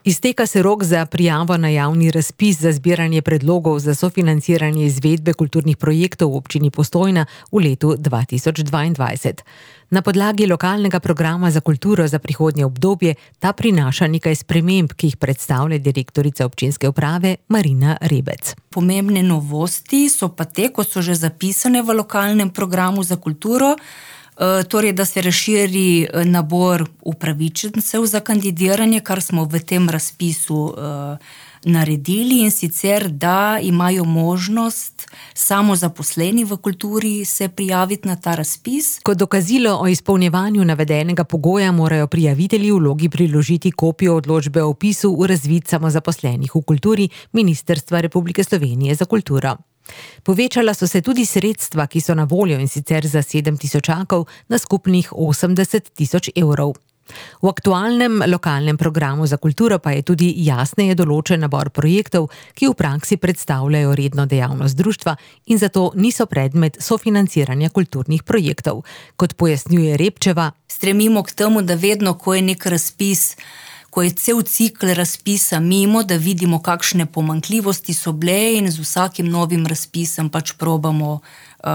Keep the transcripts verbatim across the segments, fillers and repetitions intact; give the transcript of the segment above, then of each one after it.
Izteka se rok za prijavo na javni razpis za zbiranje predlogov za sofinanciranje izvedbe kulturnih projektov v občini Postojna v letu dva tisoč dvaindvajset. Na podlagi lokalnega programa za kulturo za prihodnje obdobje ta prinaša nekaj sprememb, ki jih predstavlja direktorica občinske uprave Marina Rebec. Pomembne novosti so pa te, kot so že zapisane v lokalnem programu za kulturo, torej, da se razširi nabor upravičencev za kandidiranje, kar smo v tem razpisu naredili, in sicer, da imajo možnost samozaposleni v kulturi se prijaviti na ta razpis. Kot dokazilo o izpolnjevanju navedenega pogoja morajo prijavitelji v vlogi priložiti kopijo odločbe o vpisu v razvid samozaposlenih v kulturi Ministrstva Republike Slovenije za kulturo. Povečala so se tudi sredstva, ki so na voljo, in sicer za sedem tisočakov na skupnih osemdeset tisoč evrov. V aktualnem lokalnem programu za kulturo pa je tudi jasneje določen nabor projektov, ki v praksi predstavljajo redno dejavnost društva in zato niso predmet sofinanciranja kulturnih projektov. Kot pojasnjuje Repčeva, stremimo k temu, da vedno, ko je nek razpis, ko je cel cikl razpisa mimo, da vidimo, kakšne pomanjkljivosti so bile, in z vsakim novim razpisom pač probamo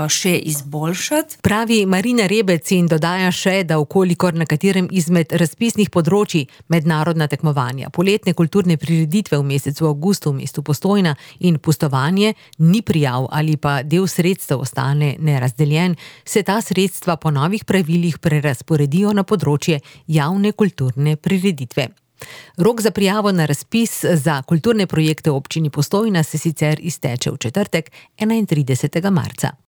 še izboljšati. Pravi Marina Rebec in dodaja še, da ukolikor na katerem izmed razpisnih področij mednarodna tekmovanja, poletne kulturne prireditve v mesecu avgustu v mestu Postojna in pustovanje ni prijav ali pa del sredstev ostane nerazdeljen, se ta sredstva po novih pravilih prerazporedijo na področje javne kulturne prireditve. Rok za prijavo na razpis za kulturne projekte v občini Postojna se sicer izteče v četrtek, enaintridesetega marca.